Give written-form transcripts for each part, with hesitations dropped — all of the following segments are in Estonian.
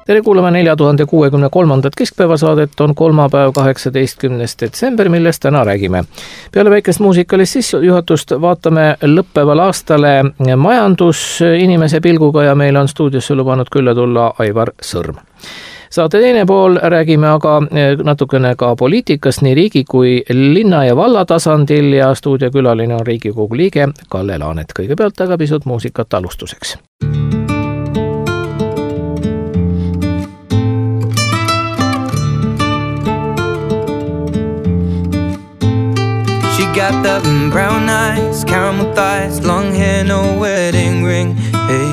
Tere kuulame 4063. keskpäevasaadet, on kolmapäev 18. detsember, millest täna räägime. Peale väikest muusikalist sissejuhatust vaatame lõppeval aastale majandusinimese pilguga ja meil on stuudiosse lubanud külla tulla Aivar Sõrm. Saate teine pool räägime aga natukene ka poliitikast nii riigi kui linna ja valla tasandil ja stuudiokülaline on Riigikogu liige Kalle Laanet. Kõigepealt aga pisut muusikat alustuseks. Got the brown eyes, caramel thighs, long hair, no wedding ring. Hey,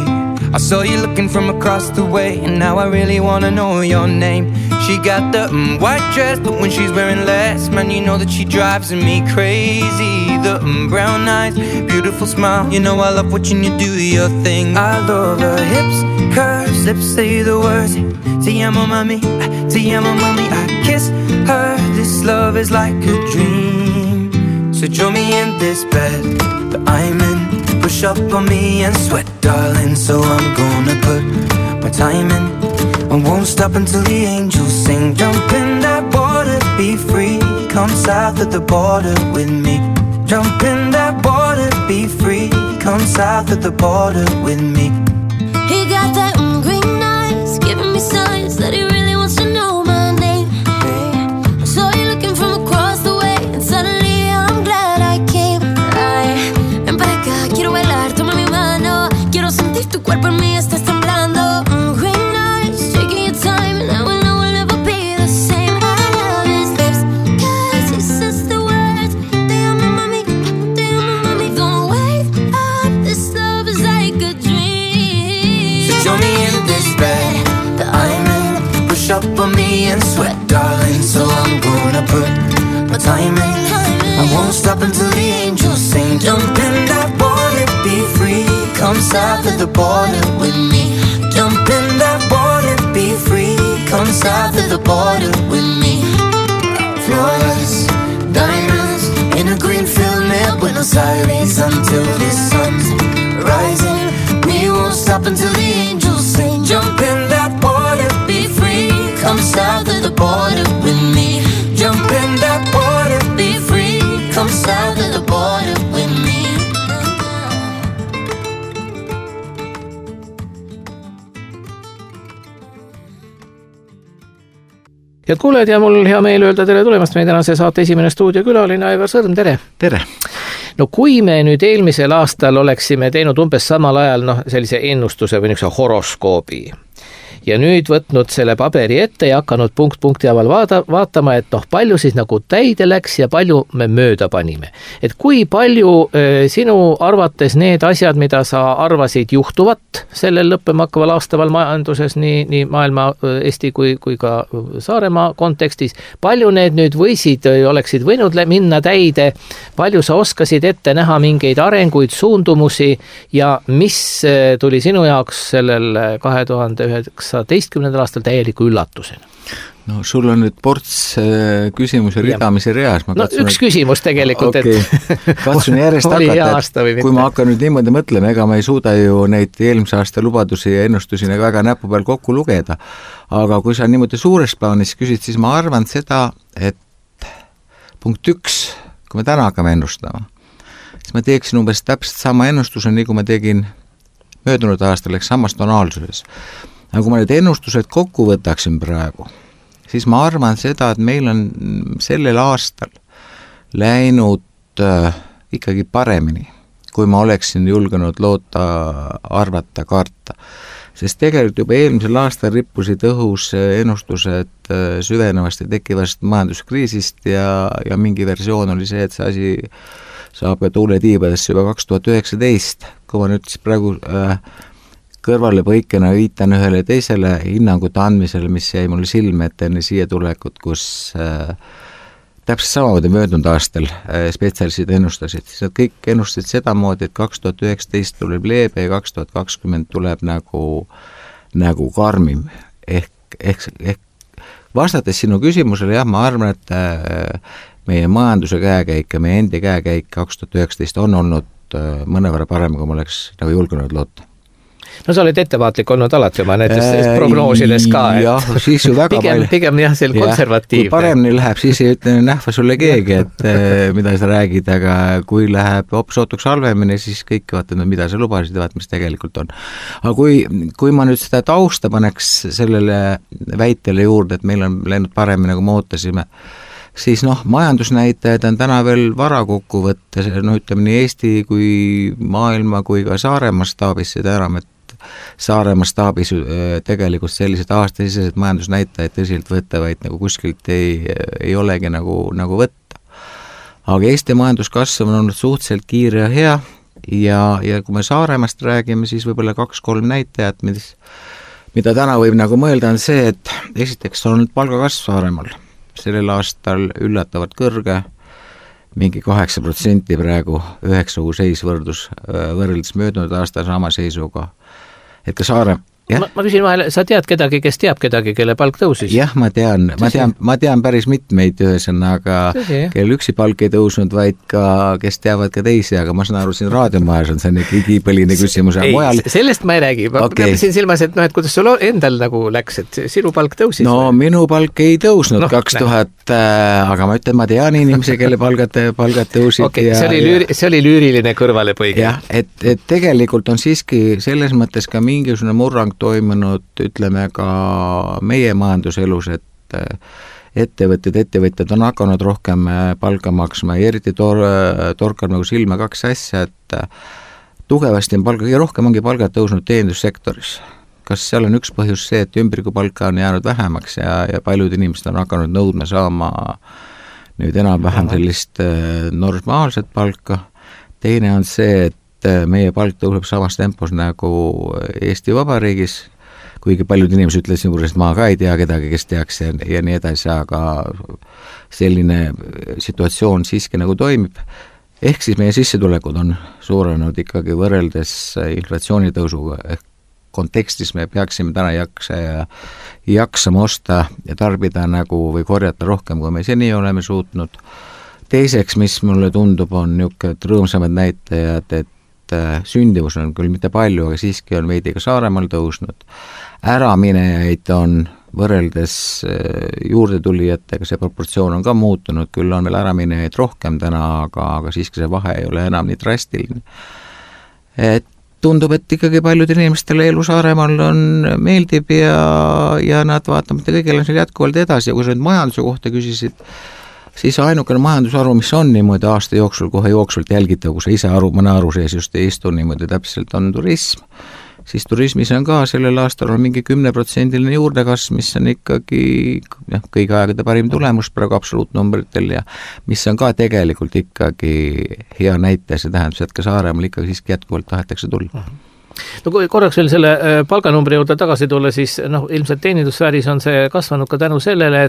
I saw you looking from across the way, and now I really wanna know your name. She got the white dress, but when she's wearing less, man, you know that she drives me crazy. The brown eyes, beautiful smile, you know I love watching you do your thing. I love her hips, curves, lips say the words. Te amo mami, I kiss her. This love is like a dream. So join me in this bed that I'm in. Push up on me and sweat, darling. So I'm gonna put my time in. I won't stop until the angels sing. Jump in that water, be free. Come south of the border with me. Jump in that water, be free. Come south of the border with me. He got that green eyes, giving me signs that he really wants to know my name. I saw you looking from across the way, and suddenly quiero bailar, toma mi mano. Quiero sentir tu cuerpo en mí, estás temblando. Green eyes, taking your time, and I will know we'll never be the same. I love his lips, cause he says the words. Te amo mami, don't wake up. This love is like a dream. So join me in this bed that I'm in. Push up on me and sweat, darling. So I'm gonna put my time in. I won't stop until the angels sing. Jump in that water, be free. Come south of the border with me. Jump in that water, be free. Come south of the border with me. Flawless diamonds in a green field near Buenos Aires until the sun's rising. We won't stop until the angels sing. Jump in that water, be free. Come south of the border with me. Jump in that water, be free. Come south of the border with me. Head kuulajad ja mul hea meel öelda tere tulemast meie tänase saate esimene stuudiokülaline Aivar Sõrm, tere! Tere! No kui me nüüd eelmisel aastal oleksime teinud umbes samal ajal sellise ennustuse või niisuguse horoskoobi ja nüüd võtnud selle paberi ette ja hakanud punkt punkti haaval vaatama, et palju siis nagu täide läks ja palju me mööda panime. Et kui palju sinu arvates need asjad, mida sa arvasid juhtuvat sellel lõppema hakkaval aastaval majanduses nii maailma, Eesti kui ka Saaremaa kontekstis, palju need nüüd oleksid võinud minna täide, palju sa oskasid ette näha mingeid arenguid, suundumusi ja mis tuli sinu jaoks sellel 2019. aastal täieliku üllatusena? No sul on nüüd ports küsimuse ridamise reas. Üks küsimus tegelikult. Okay. Katsun järjest hakata, et kui ma hakkan nüüd niimoodi mõtlema, ega ma ei suuda ju neid eelmise aasta lubadusi ja ennustusi väga näpu peal kokku lugeda. Aga kui sa niimoodi suures plaanis küsid, siis ma arvan seda, et punkt 1, kui me täna hakkame ennustama, siis ma teeksin umbes täpselt sama ennustuse, nii kui ma tegin möödunud aastal, eks samas tonaalsuses. Aga kui ma need ennustused kokku võtaksin praegu, siis ma arvan seda, et meil on sellel aastal läinud ikkagi paremini, kui ma oleksin julgenud loota, arvata, karta. Sest tegelikult juba eelmisel aastal rippusid õhus ennustused süvenevast ja tekkivast majanduskriisist ja mingi versioon oli see, et see asi saab ka tuule tiibadesse juba 2019. Kui ma nüüd siis praegu kõrvale põikena viitan ühele teisele hinnangute andmisele, mis jäi mulle silme enne siia tulekut, kus täpselt samamoodi möödunud aastal spetsialistid ennustasid. Siis nad kõik ennustasid sedamoodi, et 2019 tuleb leebe ja 2020 tuleb nagu karmim. Ehk vastates sinu küsimusele, jah, ma arvan, et meie majanduse käekäik ja meie endi käekäik 2019 on olnud mõnevõrra parem, kui ma oleks nagu julgenud loota. No sa oled ettevaatlik olnud alati oma näiteks prognoosides ka, et jah, siis ju väga pigem jah, see konservatiivne. Kui paremini läheb, siis ei ütle nähva sulle keegi, et mida sa räägid, aga kui läheb hoopis ootuks halvemini, siis kõik vaatavad, mida sa lubasid ja vaat, mis tegelikult on. Aga kui ma nüüd seda tausta paneks sellele väitele juurde, et meil on läinud paremini, nagu me ootasime, siis majandusnäitajad on täna veel vara kokku võtta, ütleme nii Eesti kui maailma kui ka Saaremaa staabis, seda enam, et Saaremaa staabis tegelikult sellised aastasisesed majandusnäitajad tõsiselt võttavaid nagu kuskilt ei olegi nagu võtta. Aga Eesti majanduskasv on olnud suhteliselt kiire ja hea ja kui me Saaremaast räägime, siis võib-olla 2-3 näitajat, mida täna võib nagu mõelda, on see, et esiteks on olnud palgakasv Saaremaal. Sellel aastal üllatavalt kõrge, mingi 8% praegu, 9 seis võrreldes möödunud aasta sama seisuga. Et ka Saare... Ma küsin vahele, sa tead kedagi, kes teab kedagi, kelle palk tõusis? Jah, ma tean päris mitmeid ühesõnaga, kelle üksi palk ei tõusnud, vaid ka, kes teavad ka teisi, aga ma saan aru, siin raadiomajas on see igipõline küsimus. Ei, sellest ma ei räägi. Ma siin silmas, et kuidas sul endal nagu läks, et sinu palk tõusis? No minu palk ei tõusnud 2000, aga ma ütlen, ma tean inimesi, kelle palgad tõusid. Okay, see oli lüüriline kõrvalepõige. Jah, et tegelikult on siiski selles mõttes ka mingisugune murrang toimunud, ütleme ka meie majanduselus, et ettevõtjad on hakanud rohkem palka maksma ja eriti torkab nagu silma 2 asja, et tugevasti on kõige rohkem ongi palgad tõusnud teenindussektoris. Kas seal on üks põhjus see, et ümbrikupalka on jäänud vähemaks ja paljud inimesed on hakanud nõudma saama nüüd enam-vähem sellist normaalset palka. Teine on see, et meie palk tõuseb samas tempos nagu Eesti Vabariigis, kuigi paljud inimesed ütlevad siin juures, et ma ka ei tea kedagi, kes teaks ja nii edasi, aga selline situatsioon siiski nagu toimib. Ehk siis meie sissetulekud on suurenenud ikkagi võrreldes inflatsioonitõusuga, ehk kontekstis me peaksime täna jaksama osta ja tarbida nagu või korjata rohkem, kui me seni oleme suutnud. Teiseks, mis mulle tundub, on niisugused rõõmsamad näitajad, et sündivus on küll mitte palju, aga siiski on veidi ka Saaremaal tõusnud. Äraminejaid on võrreldes juurdetulijatega, see proportsioon on ka muutunud, küll on veel äraminejaid rohkem täna, aga siiski see vahe ei ole enam nii drastiline. Et tundub, et ikkagi paljud inimestele elu Saaremaal meeldib ja nad vaatamata kõigele on seal jätkuvalt edasi ja kui sa nüüd majanduse kohta küsisid, siis ainukene majandusharu, mis on niimoodi aasta jooksul kohe jooksvalt jälgitav, kui sa ise mõne aru sees just ei istu niimoodi täpselt, on turism. Siis turismis on ka sellel aastal on mingi 10% juurdekasv, mis on ikkagi kõigi aegade parim tulemus praegu absoluutnumbritel ja mis on ka tegelikult ikkagi hea näite, see tähendab, et ka Saaremaal ikkagi siiski jätkuvalt tahetakse tulla. No kui korraks veel selle palganumbri juurde tagasi tulla, siis ilmselt teenindussfääris on see kasvanud ka tänu sellele,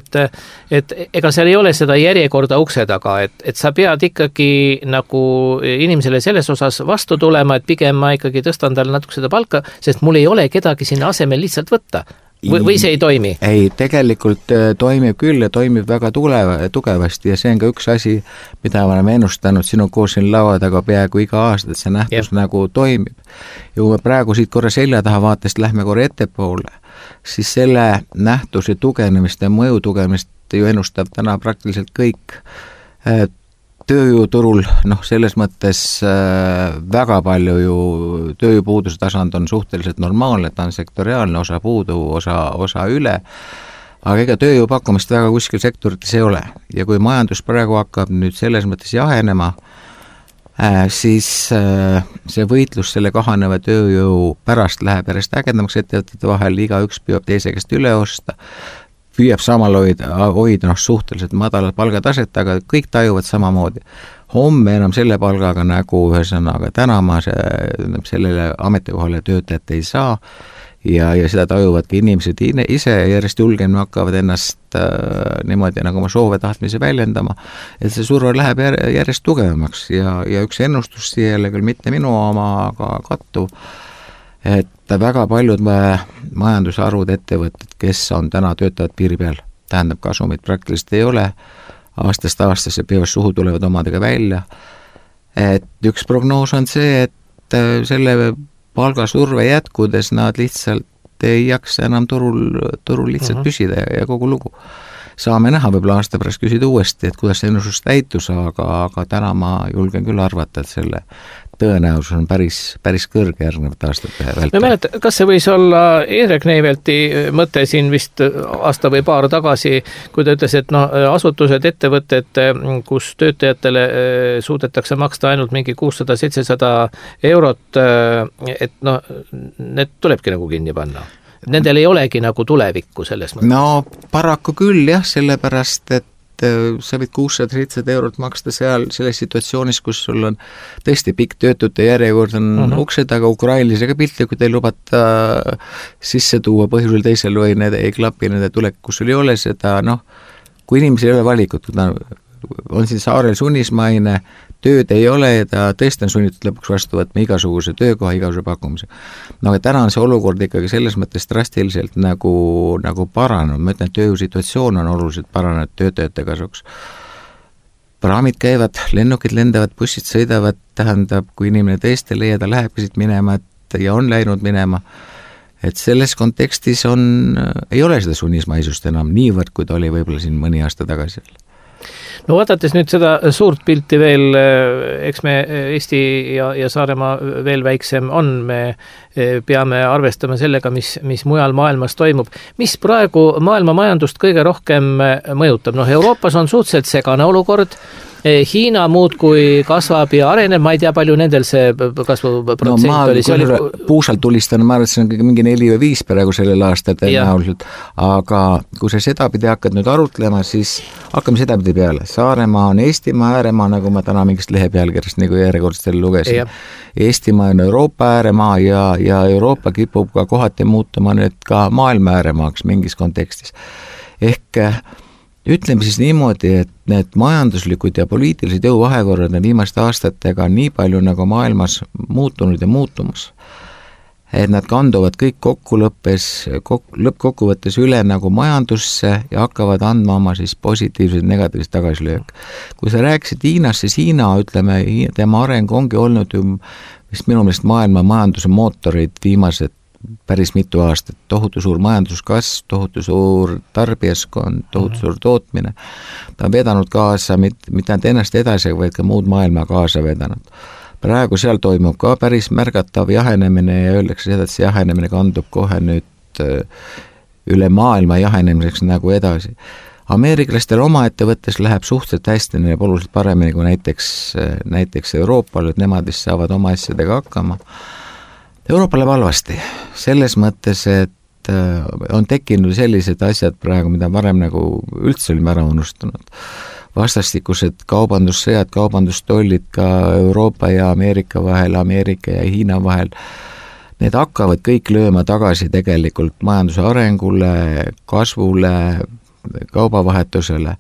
et ega seal ei ole seda järjekorda ukse taga, et sa pead ikkagi nagu inimesele selles osas vastu tulema, et pigem ma ikkagi tõstan talle natuke seda palka, sest mul ei ole kedagi sinna asemel lihtsalt võtta. Või see ei toimi? Ei, tegelikult toimib küll ja toimib väga tugevasti ja see on ka üks asi, mida me oleme ennustanud sinu koos siin laua taga peaaegu iga aasta, et see nähtus nagu toimib. Ja kui me praegu siit korra selja taha vaatest lähme korra ettepoole, siis selle nähtuse tugevnemist ja mõju tugevnemist ju ennustab täna praktiliselt kõik tööjõuturul, selles mõttes väga palju ju tööjõupuuduse tasand on suhteliselt normaalne, ta on sektoriaalne, osa puudu, osa üle, aga ega tööjõu pakkumist väga kuskil sektorites ei ole. Ja kui majandus praegu hakkab nüüd selles mõttes jahenema, siis see võitlus selle kahaneva tööjõu pärast läheb järjest ägedamaks ettevõtete vahel, igaüks püüab teise käest üle osta, püüab samal hoida suhteliselt madalad palgataset, aga kõik tajuvad samamoodi. Homme enam selle palgaga nagu ühesõnaga täna ma sellele ametikohale töötajat ei saa ja seda tajuvadki inimesed ise järjest julgemini hakkavad ennast niimoodi nagu oma soove tahtmise väljendama, et see surve läheb järjest tugevamaks ja üks ennustus siia küll mitte minu oma, aga kattuv, et väga paljud majandusharud ettevõtted, kes on täna töötavad piiri peal, tähendab kasumit praktiliselt ei ole, aastast aastasse peavad suhu tulevad omadega välja, et üks prognoos on see, et selle palgasurve jätkudes nad lihtsalt ei jaksa enam turul lihtsalt püsida ja kogu lugu. Saame näha, võib-olla aasta pärast küsida uuesti, et kuidas see ennustus täitus, aga täna ma julgen küll arvata, et selle tõenäosus on päris kõrge järgnevate aastate vältel. Ma mäletan, kas see võis olla Indrek Neivelti mõte siin vist aasta või paar tagasi, kui ta ütles, et asutused, ettevõtted, kus töötajatele suudetakse maksta ainult mingi 600-700 eurot, et need tulebki nagu kinni panna. Nendel ei olegi nagu tulevikku selles mõttes. No paraku küll jah, sellepärast, et sa võid 600-700 eurot maksta selles situatsioonis, kus sul on tõesti pikk töötute järjekord on ukse taga, ukrainlasega piltlikult ei lubata sisse tuua põhjusel teisel või need ei klapi nende tulek, kus sul ei ole seda, kui inimesel ei ole valikut, kui ta on siin saarel sunnismaine, tööd ei ole ja ta tõesti on sunnitud lõpuks vastu võtma igasuguse töökoha, igasuguse pakkumise. Aga täna on see olukord ikkagi selles mõttes drastiliselt nagu paranenud, ma ütlen, et tööjõusituatsioon on oluliselt paranenud töötajate kasuks. Praamid käivad, lennukid lendavad, bussid sõidavad, tähendab, kui inimene tõesti leia, ta lähebki siit minema ja on läinud minema, et selles kontekstis ei ole seda sunnismaisust enam niivõrd, kui ta oli võib-olla siin mõni aasta tagasi. No vaadates nüüd seda suurt pilti veel, eks me Eesti ja Saaremaa veel väiksem on, me peame arvestama sellega, mis mujal maailmas toimub. Mis praegu maailma majandust kõige rohkem mõjutab? Euroopas on suhteliselt segane olukord, Hiina muudkui kasvab ja areneb, ma ei tea, palju nendel see kasvuprotsent oli. Puusalt tulistan, ma arvan, et see on mingi 4 või 5 praegu sellel aastal tõenäoliselt, aga kui sa sedapidi hakkad nüüd arutlema, siis hakkame sedapidi peale. Saaremaa on Eestimaa ääremaa, nagu ma täna mingist lehe pealkirjast nagu järjekordselt lugesin. Eestimaa on Euroopa ääremaa ja Euroopa kipub ka kohati muutuma nüüd ka maailma ääremaaks mingis kontekstis. Ehk ütleme siis niimoodi, et need majanduslikud ja poliitilised jõuvahekorrad on viimaste aastatega nii palju nagu maailmas muutunud ja muutumas, et nad kanduvad kõik lõppkokkuvõttes üle nagu majandusse ja hakkavad andma oma siis positiivseid negatiivseid tagasilöök. Kui sa rääkisid Hiinast, siis Hiina, ütleme, tema areng ongi olnud ju vist minu meelest maailma majanduse mootorid viimased päris mitu aastat, tohutu suur majanduskasv, tohutu suur tarbijaskond, tohutu suur tootmine. Ta on vedanud kaasa mitte ainult ennast edasi, vaid ka muud maailma kaasa vedanud. Praegu seal toimub ka päris märgatav jahenemine ja öeldakse seda, et see jahenemine kandub kohe nüüd üle maailma jahenemiseks nagu edasi. Ameeriklastel oma ettevõttes läheb suhteliselt hästi, neil oluliselt paremini kui näiteks Euroopal, et nemad saavad oma asjadega hakkama. Euroopa läheb halvasti, selles mõttes, et on tekkinud sellised asjad praegu, mida varem nagu üldse olime ära unustanud. Vastastikused kaubandussõjad, kaubandustollid ka Euroopa ja Ameerika vahel, Ameerika ja Hiina vahel, need hakkavad kõik lööma tagasi tegelikult majanduse arengule, kasvule, kaubavahetusele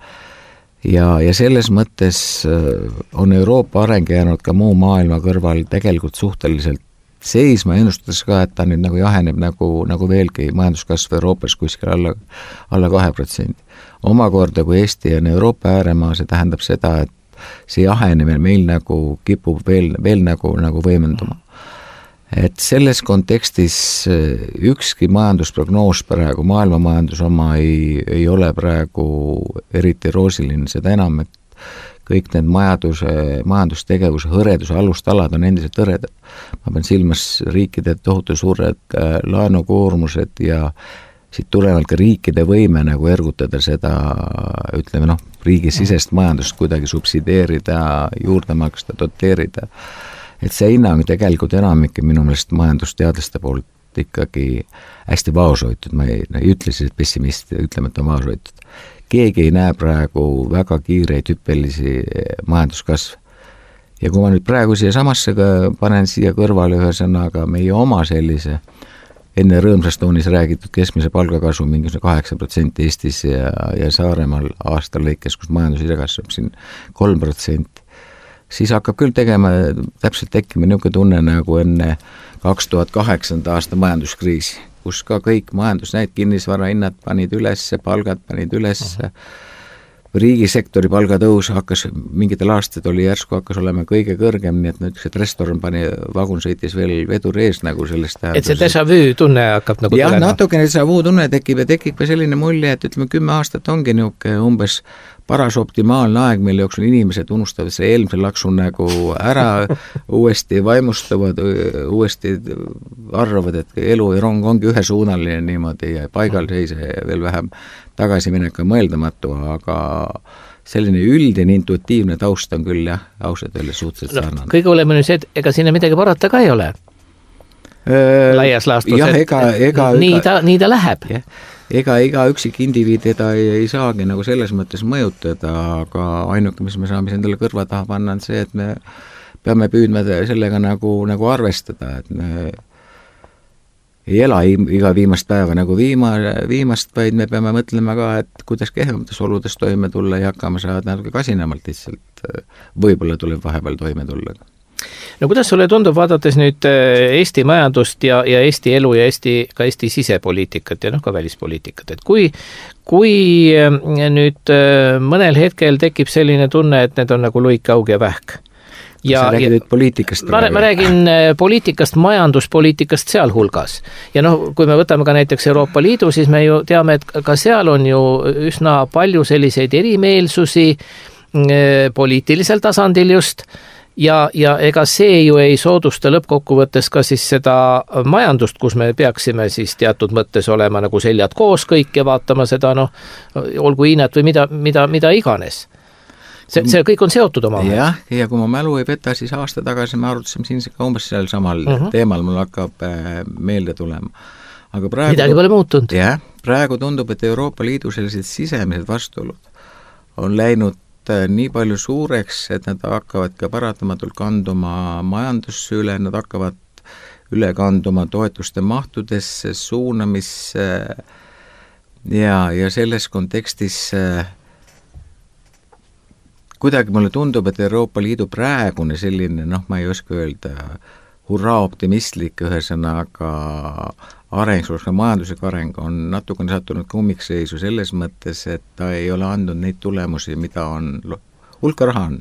ja selles mõttes on Euroopa areng jäänud ka muu maailma kõrval tegelikult suhteliselt seisma, ennustades ka, et ta nüüd nagu jaheneb nagu veelgi majanduskasv Euroopas kuskil alla 2%. Omakorda, kui Eesti on Euroopa ääremaa, see tähendab seda, et see jahenemine meil nagu kipub veel nagu võimenduma. Et selles kontekstis ükski majandusprognoos praegu, maailma majandus oma ei ole praegu eriti roosiline, seda enam, et kõik need majandustegevuse hõreduse alustalad on endiselt hõredad. Ma pean silmas riikide tohutu suured laenukoormused ja siit tulenevalt ka riikide võime nagu ergutada seda, ütleme riigisisest majandust kuidagi subsideerida, juurde maksta, doteerida. Et see hinnang tegelikult enamik minu meelest majandusteadlaste poolt ikkagi hästi vaoshoitud, ma ei ütle siis, et pessimist, ütleme, et on vaoshoitud. Keegi ei näe praegu väga kiireid hüppelisi majanduskasv. Ja kui ma nüüd praegu siia samasse panen siia kõrvale ühesõnaga meie oma sellise enne rõõmsast toonis räägitud keskmise palgakasvu mingisugune 8% Eestis ja Saaremaal aasta lõikes, kus majandus ise kasvab siin 3%, siis hakkab küll täpselt tekkima niisugune tunne nagu enne 2008. aasta majanduskriisi, kus ka kõik majandus, need kinnisvarahinnad panid üles, palgad panid üles, riigisektori palgatõus hakkas, mingitel aastatel oli järsku hakkas olema kõige kõrgem, nii et nüüd see restoran vagun sõitis veel vedur ees nagu sellest tähendus. Et see déjà vu tunne hakkab nagu tulema? Jah, natukene déjà vu tunne tekib ja tekib ka selline mulje, et ütleme 10 aastat ongi niisugune umbes paras optimaalne aeg, mille jooksul inimesed unustavad see eelmise laksu nagu ära, uuesti vaimustuvad, uuesti arvavad, et elu ja rong ongi ühesuunaline niimoodi ja paigal seise ja veel vähem tagasiminek on mõeldamatu, aga selline üldine intuitiivne taust on küll jah, ausalt öeldes suhteliselt sarnane. Kõige oleme nüüd see, et ega sinna midagi parata ka ei ole. Laias laastus, nii ta läheb. Ega üksik indiviid teda ei saagi nagu selles mõttes mõjutada, aga ainuke, mis me saame endale kõrva taha panna, on see, et me peame püüdma sellega nagu arvestada, et me ei ela iga viimast päeva nagu viimast, vaid me peame mõtlema ka, et kuidas kehvemates oludes toime tulla ja hakkama saada natuke kasinamalt lihtsalt, võib-olla tuleb vahepeal toime tulla. No kuidas sulle tundub, vaadates nüüd Eesti majandust ja Eesti elu ja ka Eesti sisepoliitikat ja ka välispoliitikat, et kui nüüd mõnel hetkel tekib selline tunne, et need on nagu luik, aug ja vähk. Sa räägid poliitikast? Ma räägin poliitikast, majanduspoliitikast sealhulgas. Ja kui me võtame ka näiteks Euroopa Liidu, siis me ju teame, et ka seal on ju üsna palju selliseid erimeelsusi poliitilisel tasandil just, ja ega see ju ei soodusta lõppkokkuvõttes ka siis seda majandust, kus me peaksime siis teatud mõttes olema nagu seljad koos kõik ja vaatama seda, olgu Hiinat või mida iganes. See kõik on seotud omavahel. Jah, ja kui ma mälu ei peta, siis aasta tagasi me arutasime siin ka umbes seal samal teemal, mul hakkab meelde tulema. Aga praegu, midagi pole muutunud. Jah, praegu tundub, et Euroopa Liidu sellised sisemised vastuolud on läinud nii palju suureks, et nad hakkavad ka paratamatult kanduma majandusse üle, nad hakkavad üle kanduma toetuste mahtudesse, suunamisse ja selles kontekstis kuidagi mulle tundub, et Euroopa Liidu praegune selline, ma ei oska öelda, hurraa optimistlik ühesõnaga areng, majanduslik areng on natukene sattunud ka ummikseisu selles mõttes, et ta ei ole andnud neid tulemusi, mida on, hulka raha on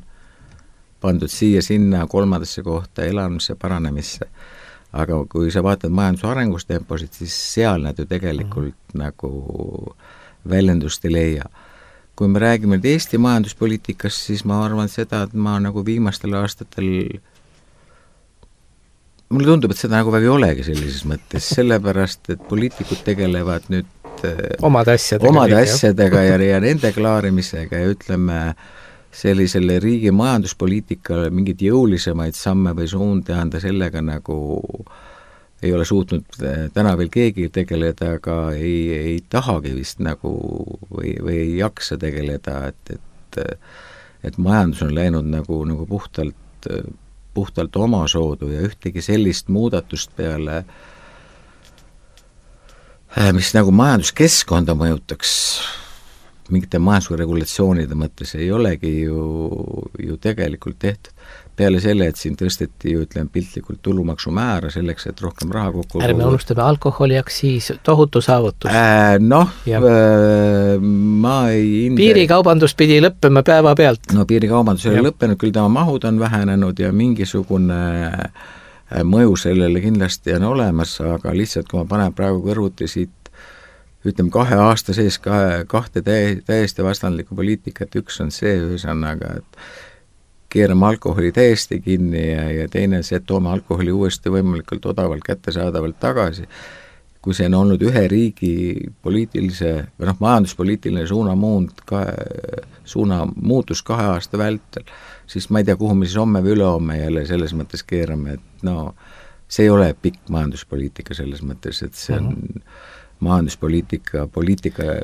pandud siia, sinna, kolmandasse kohta, elamisse, paranemisse. Aga kui sa vaatad majanduse arengustemposid, siis seal nad ju tegelikult nagu väljendust ei leia. Kui me räägime Eesti majanduspoliitikast, siis ma arvan seda, et ma nagu viimastel aastatel mulle tundub, et seda nagu väga ei olegi sellises mõttes, sellepärast, et poliitikud tegelevad nüüd omade asjadega ja nende klaarimisega ja ütleme sellisele riigi majanduspoliitikale mingid jõulisemaid samme või suundi anda sellega nagu ei ole suutnud täna veel keegi tegeleda, aga ei tahagi vist nagu või ei jaksa tegeleda, et majandus on läinud nagu puhtalt omasoodu ja ühtegi sellist muudatust peale, mis nagu majanduskeskkonda mõjutaks mingite majandusregulatsioonide mõttes, ei olegi ju tegelikult tehtud. Peale selle, et siin tõsteti ju, piltlikult tulumaksumäära selleks, et rohkem raha kokku... Ärme unustame alkoholiaktsiis, tohutu saavutus. Ma ei... Piirikaubandus pidi lõppema päeva pealt. No piirikaubandus ei ole lõppenud, küll tema mahud on vähenenud ja mingisugune mõju sellele kindlasti on olemas, aga lihtsalt kui ma panen praegu kõrvuti siit, 2 aasta sees kahte täiesti vastandlikku poliitikat, üks on see ühesõnaga, et keerame alkoholi täiesti kinni ja teine see, et toome alkoholi uuesti võimalikult odavalt kättesaadavalt tagasi. Kui see on olnud ühe riigi poliitilise või majanduspoliitiline suuna muutus 2 aasta vältel, siis ma ei tea, kuhu me siis homme või ülehomme jälle selles mõttes keerame, et see ei ole pikk majanduspoliitika selles mõttes, et see on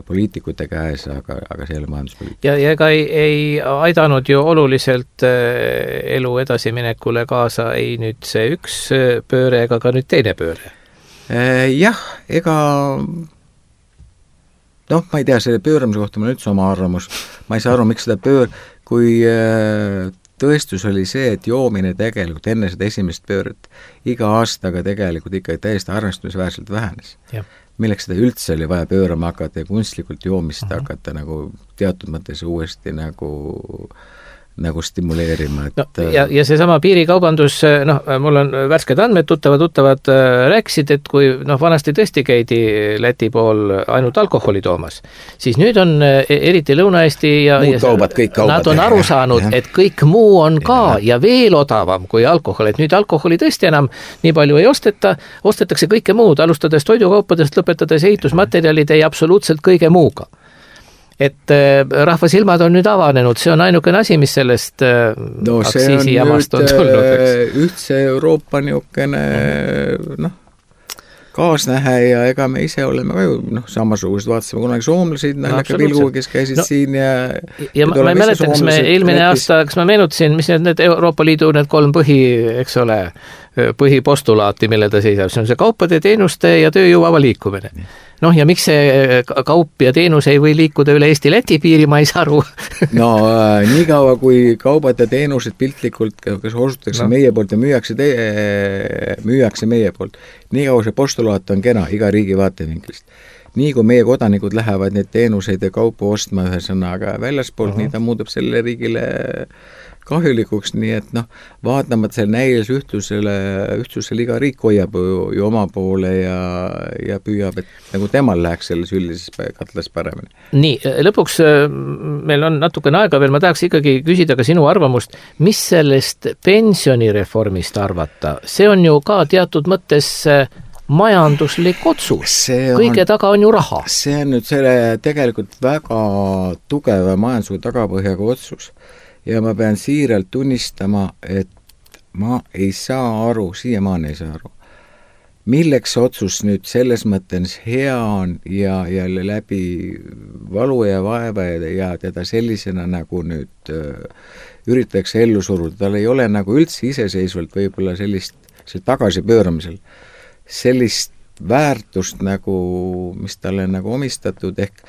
poliitikute käes, aga see ei ole majanduspoliitika. Ja ega ei aidanud ju oluliselt elu edasiminekule kaasa ei nüüd see üks pööre ega ka nüüd teine pööre. Jah, ega ma ei tea, selle pööramise kohta mul üldse oma arvamus. Ma ei saa aru, miks seda kui tõestus oli see, et joomine tegelikult enne seda esimest pööret iga aastaga tegelikult ikkagi täiesti arvestamisväärselt vähenes. Milleks seda üldse oli vaja pöörama hakata ja kunstlikult joomist hakata nagu teatud mõttes uuesti nagu stimuleerima. Et... No, ja seesama piirikaubandus, mul on värsked andmed, tuttavad rääkisid, et kui vanasti tõesti käidi Läti pool ainult alkoholi toomas, siis nüüd on eriti Lõuna-Eesti ja kaubad, kõik kaubad. Nad on aru saanud, et kõik muu on ka ja veel odavam kui alkohol, et nüüd alkoholi tõesti enam nii palju ei ostetakse kõike muud, alustades toidukaupadest, lõpetades ehitusmaterjalide ja absoluutselt kõige muuga. Et rahva silmad on nüüd avanenud, see on ainukene asi, mis sellest aktsiisijamast on tulnud. Ühtse Euroopa niukene kaasnähe ja ega me ise oleme ka ju samasugused, vaatasime kunagi soomlasid, näilaka pilguga, kes käisid siin ja ma ei mäleta, kas me eelmine aasta, kas ma meenutasin, mis need Euroopa Liidu need 3 põhipostulaati, mille ta seisab, see on see kaupade, teenuste ja tööjõu vaba liikumine. Ja miks see kaup ja teenus ei või liikuda üle Eesti-Läti piiri, ma ei saa aru. Nii kaua, kui kaubad ja teenused piltlikult, kas osutatakse meie poolt ja müüakse meie poolt, nii kaua see postulaat on kena iga riigi vaatevinklist. Nii kui meie kodanikud lähevad neid teenuseid ja kaupu ostma ühesõnaga väljaspoolt, nii ta muudab selle riigile kahjulikuks, nii et vaatamata selle näilis ühtsusele iga riik hoiab ju oma poole ja püüab, et nagu temal läheks selles üldises katlas paremini. Nii, lõpuks meil on natukene aega veel, ma tahaks ikkagi küsida ka sinu arvamust, mis sellest pensionireformist arvata? See on ju ka teatud mõttes majanduslik otsus. Kõige taga on ju raha. See on nüüd selle tegelikult väga tugeva majandusliku tagapõhjaga otsus. Ja ma pean siiralt tunnistama, et ma ei saa aru, siiamaani ei saa aru, milleks otsus nüüd selles mõttes hea on ja läbi valu ja vaeva ja teda sellisena nagu nüüd üritatakse ellu suruda. Tal ei ole nagu üldse iseseisvalt võib-olla sellist tagasipööramisel, sellist väärtust nagu, mis talle nagu omistatud, ehk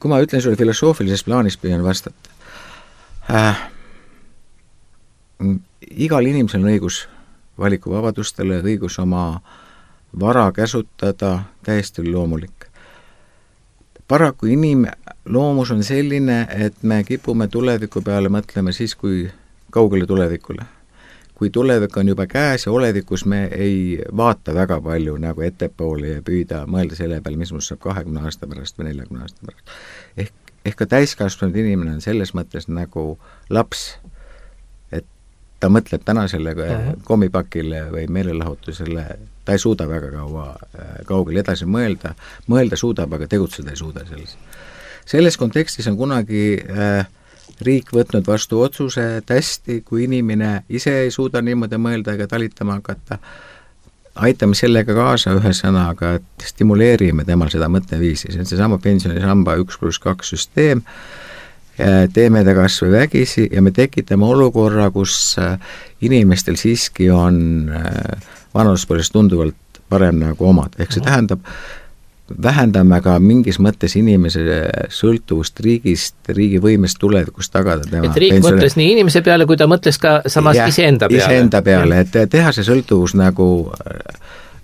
kui ma ütlen sulle filosoofilises plaanis püüan vastata, igal inimesel on õigus valikuvabadustele, õigus oma vara käsutada, täiesti loomulik. Paraku inimloomus on selline, et me kipume tuleviku peale mõtlema siis, kui kaugele tulevikule. Kui tulevik on juba käes ja olevikus me ei vaata väga palju nagu ettepoole ja püüda mõelda selle peale, mis must saab 20 aasta pärast või 40 aasta pärast. Ehk ka täiskasvanud inimene on selles mõttes nagu laps, et ta mõtleb täna selle kommipakile või meelelahutusele, ta ei suuda väga kaugele edasi mõelda suudab, aga tegutseda ei suuda selles. Selles kontekstis on kunagi riik võtnud vastu otsuse, et hästi, kui inimene ise ei suuda niimoodi mõelda ega talitama hakata, aitame sellega kaasa ühesõnaga, et stimuleerime temal seda mõtteviisi. See on seesama pensionisamba 1+2 süsteem, teeme ta kas või vägisi ja me tekitame olukorra, kus inimestel siiski on vanaduspõlves tunduvalt parem nagu omad. Ehk see tähendab, vähendame ka mingis mõttes inimese sõltuvust riigist, riigi võimest tulevikust tagada tema et riik mõtles nii inimese peale, kui ta mõtles ka samas iseenda peale. Iseenda peale, et teha see sõltuvus nagu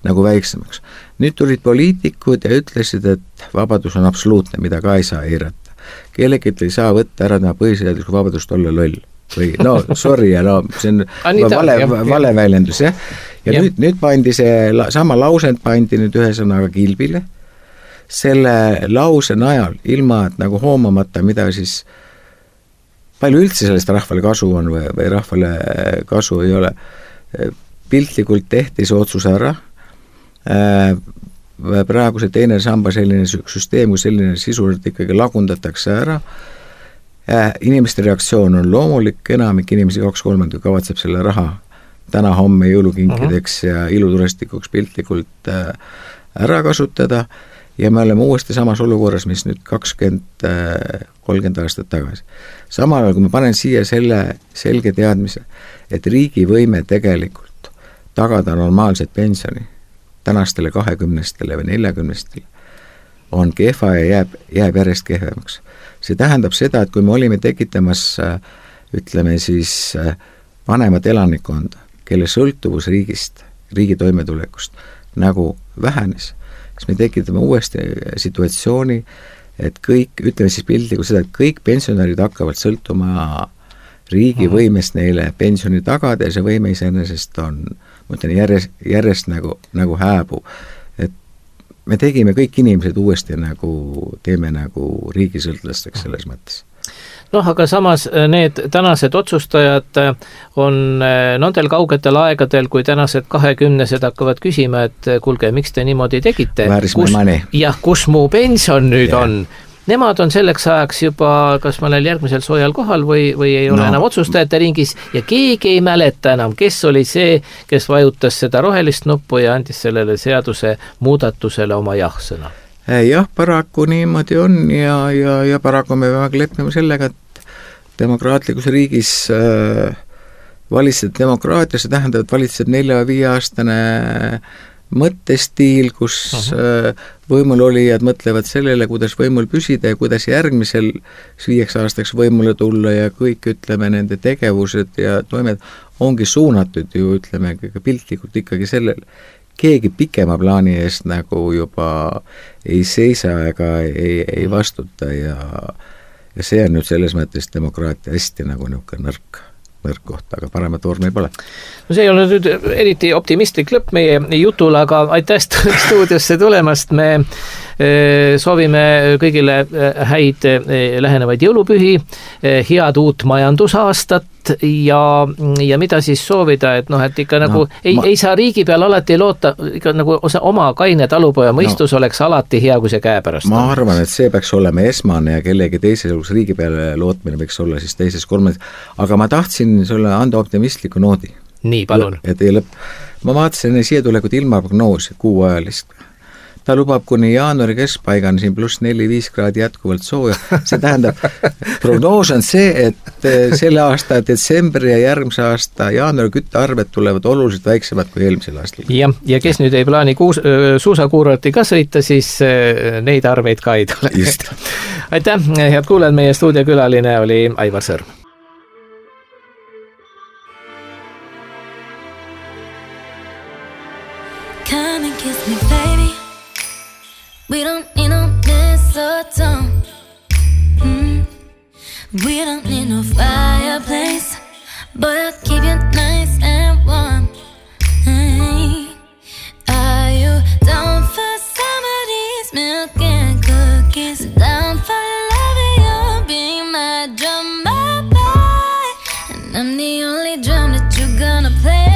väiksemaks. Nüüd tulid poliitikud ja ütlesid, et vabadus on absoluutne, mida ka ei saa eirata. Kellegi ei saa võtta ära tema põhiseaduslikku vabadust olla loll. Või sorry, see on vale väljendus, jah. Ja nüüd pandi see sama lausend pandi nüüd ühesõnaga kilbile. Selle lause najal, ilma et nagu hoomamata, mida siis palju üldse sellest rahvale kasu on või rahvale kasu ei ole, piltlikult tehti see otsus ära, praegu see teine samba selline süsteem, kui selline sisuliselt ikkagi lagundatakse ära, inimeste reaktsioon on loomulik, enamik inimesi 2/3 kavatseb selle raha täna homme jõulukinkideks ja iluturestikuks piltlikult ära kasutada ja me oleme uuesti samas olukorras, mis nüüd 20-30 aastat tagasi. Samal ajal, kui ma panen siia selle selge teadmise, et riigi võime tegelikult tagada normaalset pensioni tänastele 20-stele või 40-stele on kehva ja jääb järjest kehvemaks. See tähendab seda, et kui me olime tekitamas ütleme siis vanemat elanikkonda, kelle sõltuvus riigist, riigi toimetulekust nagu vähenes, siis me tekitame uuesti situatsiooni, et kõik, ütleme siis pildiga seda, et kõik pensionärid hakkavad sõltuma riigi võimest neile pensioni tagada ja see võime iseenesest on, ma ütlen, järjest nagu hääbu. Et me tegime kõik inimesed uuesti teeme riigisõltlasteks selles mõttes. Noh, aga samas need tänased otsustajad on nendel kaugetel aegadel, kui tänased 20-sed hakkavad küsima, et kuulge, miks te niimoodi tegite? Kus mu pension nüüd on? Nemad on selleks ajaks juba, kas ma olen järgmisel soojal kohal või ei ole enam otsustajate ringis ja keegi ei mäleta enam, kes oli see, kes vajutas seda rohelist nuppu ja andis sellele seaduse muudatusele oma jah-sõna. Jah, paraku niimoodi on ja paraku me peame leppima sellega, et demokraatlikus riigis valitseb demokraatia, see tähendab, et valitseb 4-5 aastane mõttestiil, kus võimul olijad mõtlevad sellele, kuidas võimul püsida ja kuidas järgmisel 5 aastaks võimule tulla ja kõik, ütleme, nende tegevused ja toimed ongi suunatud ju, ütleme, piltlikult ikkagi sellele. Keegi pikema plaani eest nagu juba ei seisa ega ei vastuta ja see on nüüd selles mõttes demokraatia hästi nagu niisugune nõrk kohta, aga paremat vormi pole. No see ei ole nüüd eriti optimistlik lõpp meie jutul, aga aitäh stuudiosse tulemast. Me soovime kõigile häid lähenevaid jõulupühi, head uut majandusaastat ja mida siis soovida, et et ikka nagu ei saa riigi peal alati loota, ikka nagu oma kaine talupoja mõistus oleks alati hea, kui see käepärast on. Ma arvan, et see peaks olema esmane ja kellegi teise riigi peale lootmine võiks olla siis teises kolmes, aga ma tahtsin sulle anda optimistliku noodi. Nii, palun. Ma vaatasin siia tulekud ilmaprognoosi kuuajalist. Ta lubab kuni jaanuari keskpaigan siin +4-5 kraadi jätkuvalt sooja. See tähendab, prognoos on see, et selle aasta detsembri ja järgmise aasta jaanuari küttearved tulevad oluliselt väiksemad kui eelmisel aastal. Ja kes nüüd ei plaani suusakuurorti ka sõita, siis neid arveid ka ei tule. Just. Aitäh, head kuulajad, meie stuudiokülaline oli Aivar Sõrm. Come and kiss me, baby. We don't need no mistletoe. We don't need no fireplace, but I'll keep you nice and warm. Are you down for some of these milk and cookies? Down for loving you, be my drummer boy, and I'm the only drum that you're gonna play.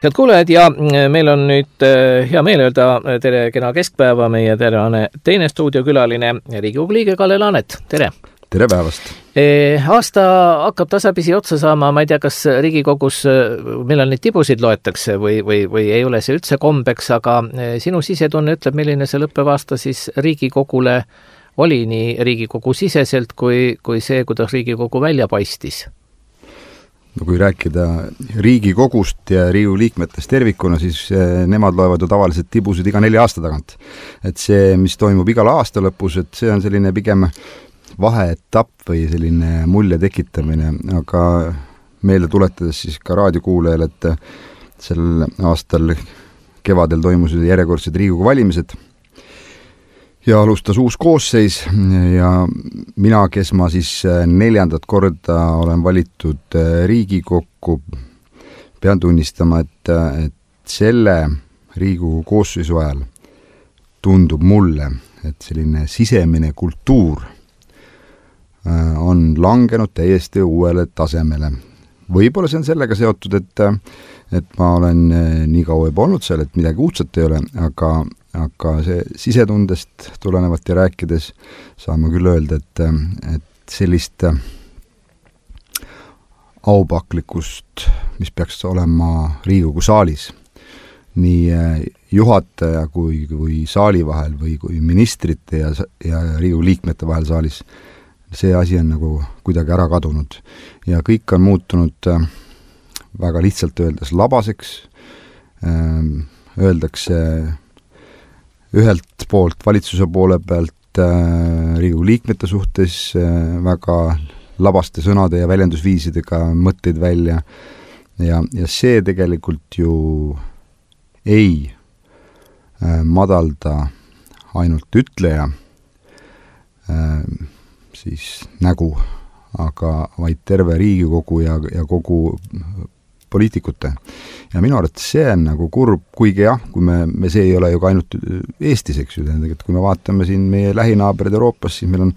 Head kuulajad ja meil on nüüd hea meel öelda tere kena keskpäeva meie teine stuudiokülaline Riigikogu liige Kalle Laanet, tere! Tere päevast! Aasta hakkab tasapisi otsa saama, ma ei tea, kas Riigikogus millal neid tibusid loetakse või ei ole see üldse kombeks, aga sinu sisetunne ütleb, milline see lõppev aasta siis Riigikogule oli nii Riigikogu siseselt kui see, kuidas Riigikogu välja paistis? No kui rääkida Riigikogust ja Riigikogu liikmetest tervikuna, siis nemad loevad ju tavaliselt tibusid iga 4 aasta tagant. Et see, mis toimub igal aasta lõpus, et see on selline pigem vaheetapp või selline mulje tekitamine, aga meelde tuletades siis ka raadiokuulajal, et sel aastal kevadel toimusid järjekordsed Riigikogu valimised ja alustas uus koosseis ja mina, kes ma siis 4. korda olen valitud Riigikokku, pean tunnistama, et selle Riigikogu koosseisu ajal tundub mulle, et selline sisemine kultuur on langenud täiesti uuele tasemele. Võib-olla see on sellega seotud, et ma olen nii kaua juba olnud seal, et midagi uudset ei ole, aga see sisetundest tulenevalt ja rääkides saan ma küll öelda, et sellist aupaklikkust, mis peaks olema Riigikogu saalis, nii juhataja kui saali vahel või kui ministrite ja Riigikogu liikmete vahel saalis, see asi on nagu kuidagi ära kadunud ja kõik on muutunud väga lihtsalt öeldes labaseks, öeldakse ühelt poolt valitsuse poole pealt Riigikogu liikmete suhtes väga labaste sõnade ja väljendusviisidega mõtteid välja ja see tegelikult ju ei madalda ainult ütleja siis nägu, aga vaid terve Riigikogu ja kogu poliitikute. Ja minu arvates see on nagu kurb, kuigi jah, kui me see ei ole ju ka ainult Eestis, eks ju, et kui me vaatame siin meie lähinaabrid Euroopas, siis meil on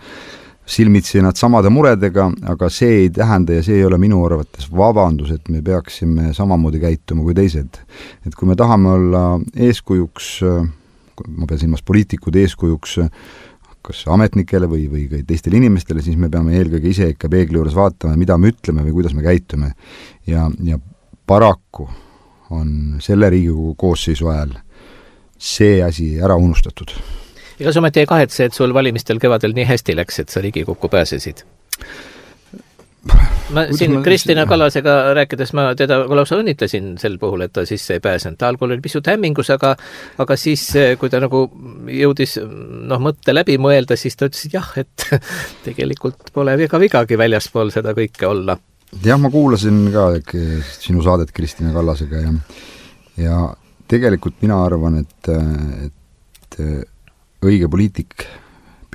silmitsi nad samade muredega, aga see ei tähenda ja see ei ole minu arvates vabandus, et me peaksime samamoodi käituma kui teised. Et kui me tahame olla eeskujuks, ma pean silmas poliitikud eeskujuks, kas ametnikele või ka teistele inimestele, siis me peame eelkõige ise ikka peegli juures vaatama, mida me ütleme või kuidas me käitume. Ja paraku on selle Riigikogu koosseisu ajal see asi ära unustatud. Ega sa ometi ei kahetse, et sul valimistel kevadel nii hästi läks, et sa Riigikokku pääsesid? Ma siin Kristina Kallasega rääkides ma teda lausa õnnitlesin sel puhul, et ta sisse ei pääsenud. Ta algul oli pisut hämmingus, aga siis, kui ta nagu jõudis mõtte läbi mõelda, siis ta ütles, et jah, et tegelikult pole vigagi väljaspool seda kõike olla. Jah, ma kuulasin ka sinu saadet Kristina Kallasega ja tegelikult mina arvan, et õige poliitik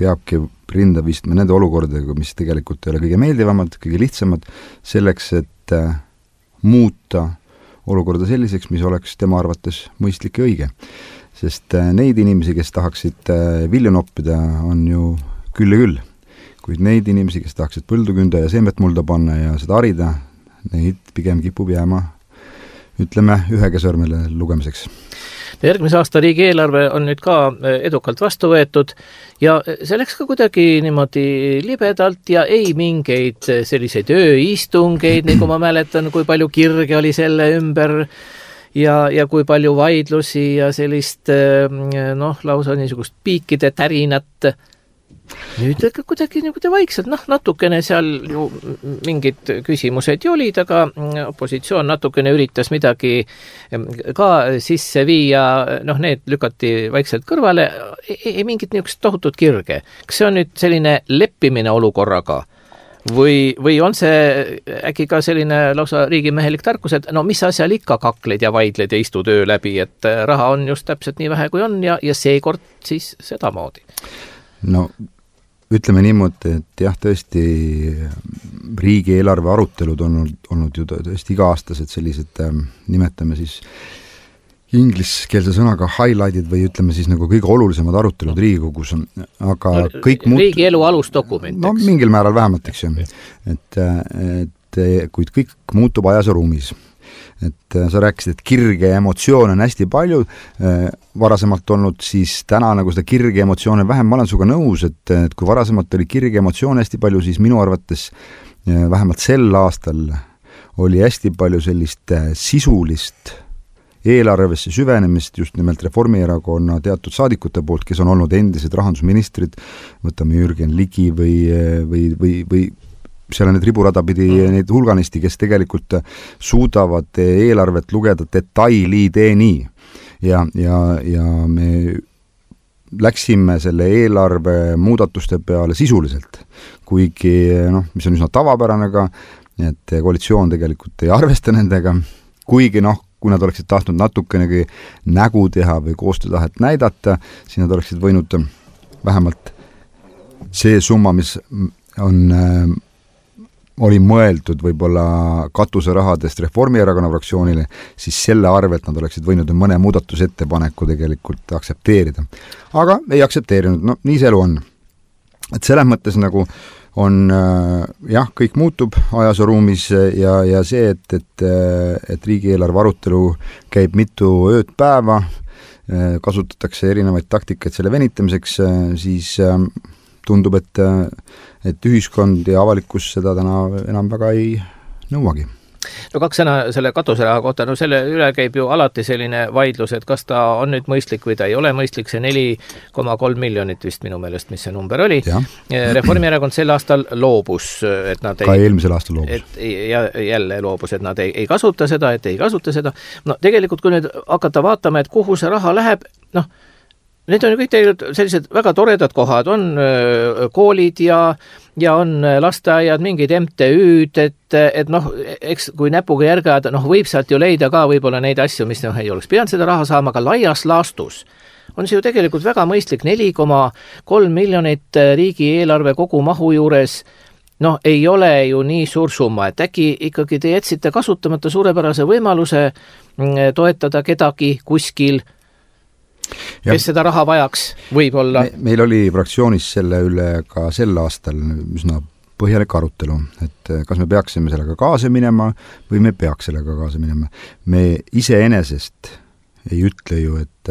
peabki rinda vistma nende olukordadega, mis tegelikult ei ole kõige meeldivamad, kõige lihtsamad, selleks, et muuta olukorda selliseks, mis oleks tema arvates mõistlik ja õige. Sest neid inimesi, kes tahaksid vilju noppida, on ju küll ja küll. Kuid neid inimesi, kes tahaksid põldu künda ja seemet mulda panna ja seda harida, neid pigem kipub jääma, ütleme, ühega sõrmele lugemiseks. Järgmise aasta riigieelarve on nüüd ka edukalt vastu võetud ja see läks ka kuidagi niimoodi libedalt ja ei mingeid selliseid ööistungeid, nagu ma mäletan, kui palju kirge oli selle ümber ja kui palju vaidlusi ja sellist lausa niisugust piikide tärinat. Nüüd kuidagi vaikselt, natukene seal ju mingid küsimused ju olid, aga opositsioon natukene üritas midagi ka sisse viia, need lükati vaikselt kõrvale, ei mingit niisugust tohutut kirge. Kas see on nüüd selline leppimine olukorraga või on see äkki ka selline lausa riigimehelik tarkus, et mis asjal ikka kakled ja vaidled ja istu töö läbi, et raha on just täpselt nii vähe kui on ja seekord siis sedamoodi? No ütleme niimoodi, et jah, tõesti riigieelarve arutelud on olnud ju tõesti iga-aastased sellised, nimetame siis ingliskeelse sõnaga highlightid või ütleme siis nagu kõige olulisemad arutelud Riigikogus, aga kõik riigielu alusdokument. No mingil määral vähemalt, eks ju. Et kuid kõik muutub ajas ja ruumis. et sa rääkisid, et kirge ja emotsioone on hästi palju varasemalt olnud, siis täna nagu seda kirge emotsioone vähem, ma olen suga nõus, et kui varasemalt oli kirge emotsioone hästi palju, siis minu arvates vähemalt sel aastal oli hästi palju sellist sisulist eelarvesse süvenemist just nimelt Reformierakonna teatud saadikute poolt, kes on olnud endised rahandusministrid, võtame Jürgen Ligi või seal on need riburada pidi neid hulganisti, kes tegelikult suudavad eelarvet lugeda detailideni ja me läksime selle eelarve muudatuste peale sisuliselt, kuigi mis on üsna tavapärane ka, et koalitsioon tegelikult ei arvesta nendega, kuigi kui nad oleksid tahtnud natukenegi nägu teha või koostöötahet näidata, siis nad oleksid võinud vähemalt see summa, mis oli mõeldud võib-olla katuserahadest Reformierakonna fraktsioonile, siis selle arvelt nad oleksid võinud mõne muudatusettepaneku tegelikult aktsepteerida. Aga ei aktsepteerinud, nii see elu on. Et selles mõttes nagu on kõik muutub ajas ja ruumis ja see, et riigieelarve arutelu käib mitu ööd päeva, kasutatakse erinevaid taktikaid selle venitamiseks, siis tundub, et ühiskond ja avalikkus seda täna enam väga ei nõuagi. No 2 sõna selle katuseraha kohta, selle üle käib ju alati selline vaidlus, et kas ta on nüüd mõistlik või ta ei ole mõistlik, see 4,3 miljonit vist minu meelest, mis see number oli. Reformierakond sel aastal loobus, et nad ka eelmisel aastal loobus. Ja jälle loobus, et nad ei kasuta seda, tegelikult kui nüüd hakata vaatama, et kuhu see raha läheb, need on ju kõik tegelikult sellised väga toredad kohad, on koolid ja on lasteaiad, mingid MTÜ-d, et eks kui näpuga järge ajada, võib sealt ju leida ka võib-olla neid asju, mis ei oleks pidanud seda raha saama, aga laias laastus on see ju tegelikult väga mõistlik, 4,3 miljonit riigieelarve kogu mahu juures, ei ole ju nii suur summa, et äkki ikkagi te jätsite kasutamata suurepärase võimaluse toetada kedagi kuskil, kes seda raha vajaks, võib-olla. Meil oli fraktsioonis selle üle ka sel aastal üsna põhjalik arutelu, et kas me peaksime sellega kaasa minema või me peaks sellega kaasa minema. Me iseenesest ei ütle ju, et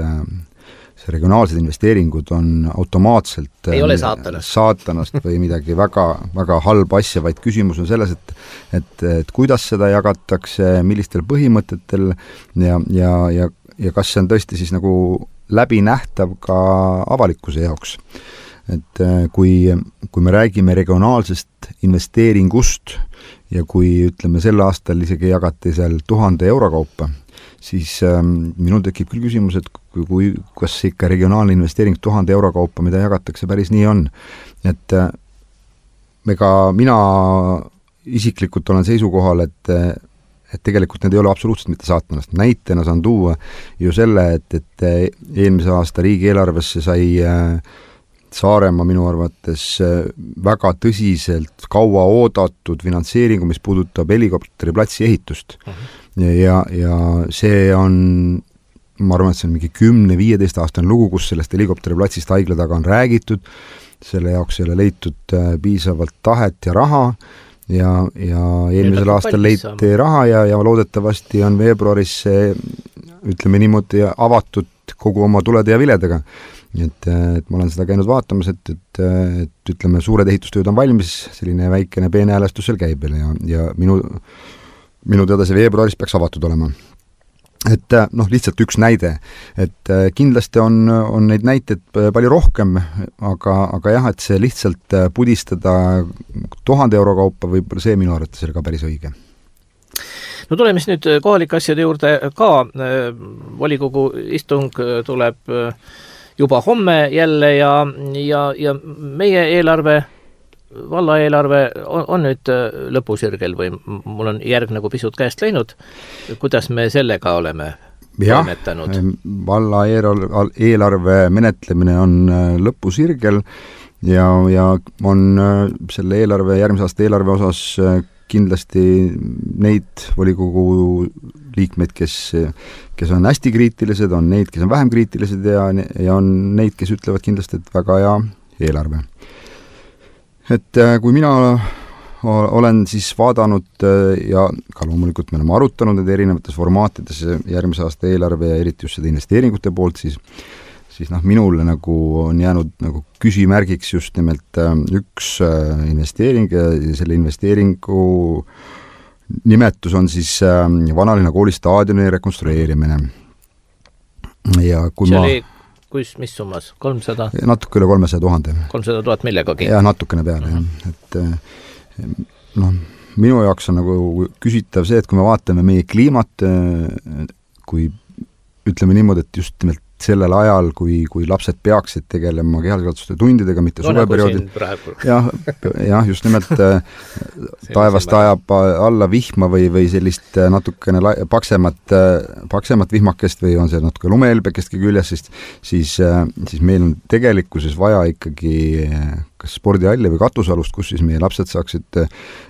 see regionaalsed investeeringud on automaatselt ei ole saatanast või midagi väga, väga halba asja, vaid küsimus on selles, et kuidas seda jagatakse, millistel põhimõtetel ja kas see on tõesti siis nagu läbinähtav ka avalikkuse jaoks. Et kui me räägime regionaalsest investeeringust ja kui ütleme sel aastal isegi jagati seal 1000 euro kaupa, siis minul tekib küll küsimus, et kas ikka regionaalne investeering 1000 euro kaupa, mida jagatakse, päris nii on. Et mina isiklikult olen seisukohal, et tegelikult need ei ole absoluutselt mitte saatanast. Näitena saan tuua ju selle, et eelmise aasta riigieelarvesse sai Saaremaa minu arvates väga tõsiselt kaua oodatud finantseeringu, mis puudutab helikopteriplatsi ehitust. Ja see on, ma arvan, et see on mingi 10-15 aastane lugu, kus sellest helikopteriplatsist haigla taga on räägitud, selle jaoks ei ole leitud piisavalt tahet ja raha, ja eelmisel aastal leiti raha ja loodetavasti on veebruaris ütleme niimoodi avatud kogu oma tulede ja viledega. Et ma olen seda käinud vaatamas, et ütleme, suured ehitustööd on valmis, selline väikene peenhäälestus seal käib ja minu teada see veebruaris peaks avatud olema. Et lihtsalt üks näide, et kindlasti on neid näiteid palju rohkem, aga jah, et see lihtsalt pudistada 1000 euro kaupa võib-olla see minu arvates oli ka päris õige. No tuleme siis nüüd kohalike asjade juurde ka, volikogu istung tuleb juba homme jälle ja meie eelarve, valla eelarve on nüüd lõpusirgel või mul on järg nagu pisut käest läinud. Kuidas me sellega oleme toimetanud? Valla eelarve menetlemine on lõpusirgel ja on selle järgmise aasta eelarve osas kindlasti neid volikogu liikmeid, kes on hästi kriitilised, on neid, kes on vähem kriitilised ja on neid, kes ütlevad kindlasti, et väga hea eelarve. Et kui mina olen siis vaadanud ja ka loomulikult me oleme arutanud need erinevates formaatides järgmise aasta eelarve ja eriti just seda investeeringute poolt, siis minule nagu on jäänud nagu küsimärgiks just nimelt üks investeering ja selle investeeringu nimetus on siis Vanalinna kooli staadioni rekonstrueerimine. Ja kui mis summas? 300? Natuke üle 300 000. 300 000 millegagi? Jah, natukene peale, jah. Et minu jaoks on nagu küsitav see, et kui me vaatame meie kliimat, kui ütleme niimoodi, et just nimelt sellel ajal, kui lapsed peaksid tegelema kehalise tundidega, mitte suveperioodil. Jah, just nimelt taevast ajab alla vihma või sellist natukene paksemat vihmakest või on see natuke lumehelbekestki küljes, siis meil on tegelikkuses vaja ikkagi kas spordihalli või katusalust, kus siis meie lapsed saaksid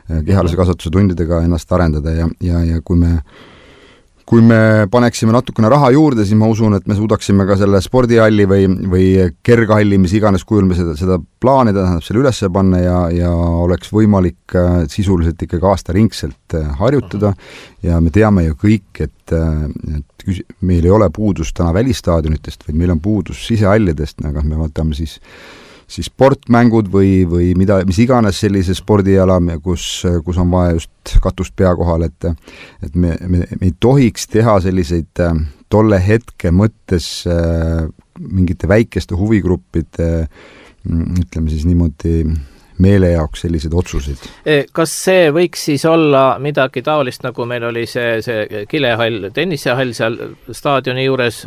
kehalise kasvatuse tundidega ennast arendada ja kui me paneksime natukene raha juurde, siis ma usun, et me suudaksime ka selle spordihalli või kerghalli, mis iganes kujul me seda plaanida, tähendab selle üles panna ja oleks võimalik sisuliselt ikkagi aastaringselt harjutada ja me teame ju kõik, et meil ei ole puudus täna välistaadionitest, vaid meil on puudus sisehallidest, aga me vaatame siis sportmängud või mis iganes sellise spordiala, kus on vaja just katust pea kohal, et me ei tohiks teha selliseid tolle hetke mõttes mingite väikeste huvigruppide, ütleme siis niimoodi, meele jaoks sellised otsuseid. Kas see võiks siis olla midagi taolist, nagu meil oli see kilehall, tennisehall seal staadioni juures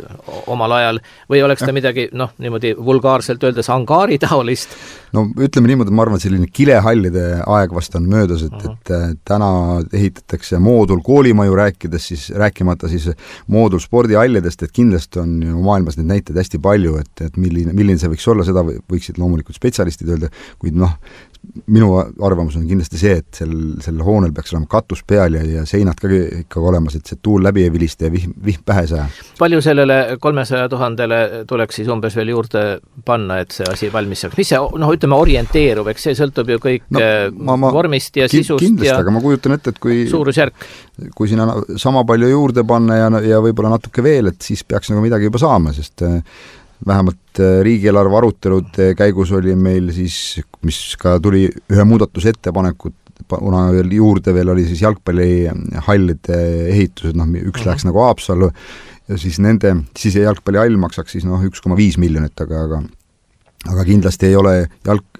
omal ajal, või oleks ta midagi, niimoodi vulgaarselt öeldes angaari taolist? No ütleme niimoodi, et ma arvan, et selline kilehallide aeg vast on möödas, et täna ehitatakse moodul koolimaju rääkimata siis moodul spordihallidest, et kindlasti on maailmas neid näiteid hästi palju, et milline see võiks olla, seda võiksid loomulikult spetsialistid öelda, kuid minu arvamus on kindlasti see, et sel hoonel peaks olema katus peal ja seinad ka ikka olemas, et see tuul läbi ei vilista ja vihm pähe saa. Palju sellele 300 000 tuleks siis umbes veel juurde panna, et see asi valmis saaks? Mis see, ütleme, orienteerub, eks see sõltub ju kõik vormist ja sisust kindlasti, ja aga ma kujutan ette, et kui sinna sama palju juurde panna ja võib-olla natuke veel, et siis peaks nagu midagi juba saama, sest vähemalt riigieelarve arutelude käigus oli meil siis, mis ka tuli ühe muudatusettepanekut, kuna juurde veel oli siis jalgpallihallide ehitused, üks läheks nagu Haapsallu ja siis nende jalgpallihall maksaks siis 1,5 miljonit, aga kindlasti ei ole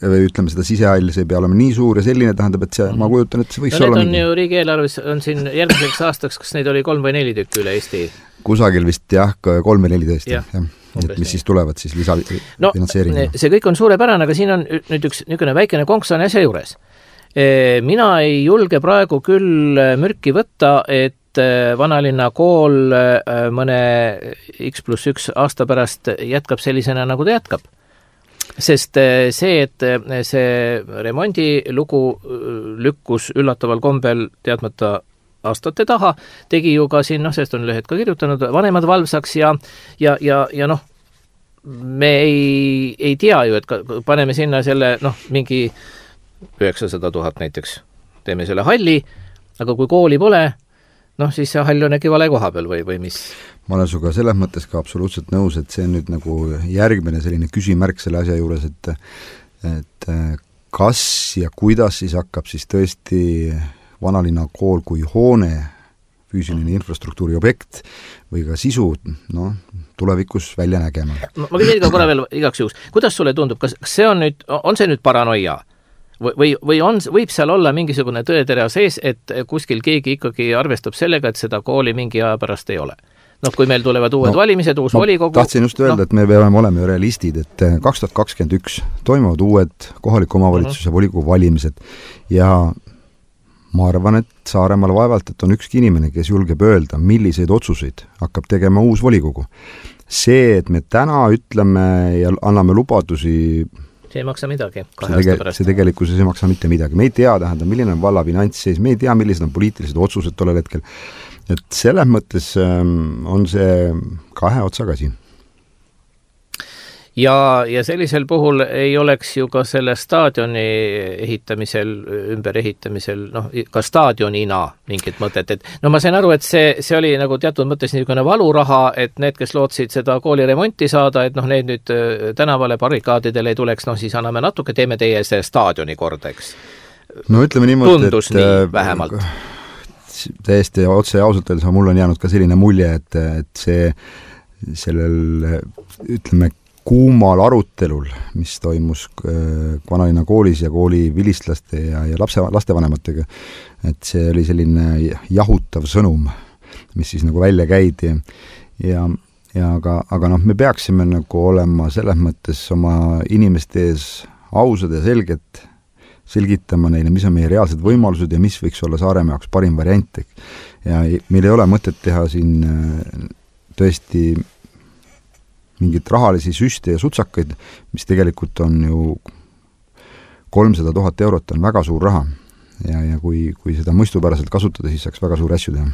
ütleme seda sisehall, see ei pea olema nii suur ja selline tähendab, et see, ma kujutan, et see võiks olla... Need on ju riigieelarves, on siin järgmiseks aastaks, kas neid oli 3 või 4 tükki üle Eesti? Kusagil vist 3 või 4 tõesti, jah. Et mis siis tulevad siis lisafinantseeringu. See kõik on suurepärane, aga siin on nüüd üks niisugune väikene konksane asja juures. Mina ei julge praegu küll mürki võtta, et Vanalinna kool mõne X+1 aasta pärast jätkab sellisena, nagu ta jätkab. Sest see, et see remondilugu lükkus üllataval kombel teadmata aastate taha, tegi ju ka siin, sellest on lehed ka kirjutanud, vanemad valvsaks ja me ei tea ju, et paneme sinna selle, mingi 900 000 näiteks, teeme selle halli, aga kui kooli pole, siis see hall on äkki vale koha peal või mis? Ma olen suga selles mõttes ka absoluutselt nõus, et see on nüüd nagu järgmine selline küsimärk selle asja juures, et kas ja kuidas siis hakkab siis tõesti Vanalinna kool kui hoone, füüsiline infrastruktuuri objekt või ka sisu, tulevikus välja nägema. Ma küsin ka korra veel igaks juhuks. Kuidas sulle tundub, kas see on see nüüd paranoia? Või võib seal olla mingisugune tõetere sees, et kuskil keegi ikkagi arvestab sellega, et seda kooli mingi aja pärast ei ole? Kui meil tulevad uued valimised, uus volikogu... Tahtsin just öelda, et me peame olema ju realistid, et 2021 toimuvad uued kohaliku omavalitsuse volikogu valimised ja ma arvan, et Saaremaal vaevalt, et on ükski inimene, kes julgeb öelda, milliseid otsuseid hakkab tegema uus volikogu. See, et me täna ütleme ja anname lubadusi, see ei maksa midagi 2 aasta pärast. See tegelikkuses ei maksa mitte midagi. Me ei tea, milline on valla finantsseis, me ei tea, millised on poliitilised otsused tollel hetkel. Et selles mõttes on see 2 otsaga siin. ja sellisel puhul ei oleks ju ka selle staadioni ehitamisel, ümberehitamisel, ka staadionina mingit mõtet, et ma sain aru, et see oli nagu teatud mõttes niisugune valuraha, et need, kes lootsid seda kooli remonti saada, et need nüüd tänavale barrikaadidele ei tuleks, siis anname natuke, teeme teie see staadioni korda, eks. No ütleme niimoodi, tundus nii vähemalt. Täiesti otse ja ausalt öeldes mul on jäänud ka selline mulje, et sellel, ütleme, kuumal arutelul, mis toimus Vanalinna koolis ja kooli vilistlaste ja lastevanematega, et see oli selline jahutav sõnum, mis siis nagu välja käidi aga me peaksime nagu olema selles mõttes oma inimeste ees ausad ja selgitama neile, mis on meie reaalsed võimalused ja mis võiks olla Saaremaa jaoks parim variant. Ja meil ei ole mõtet teha siin tõesti mingit rahalisi süste ja sutsakaid, mis tegelikult on ju 300 000 eurot on väga suur raha. Ja kui seda mõistupäraselt kasutada, siis saaks väga suuri asju teha.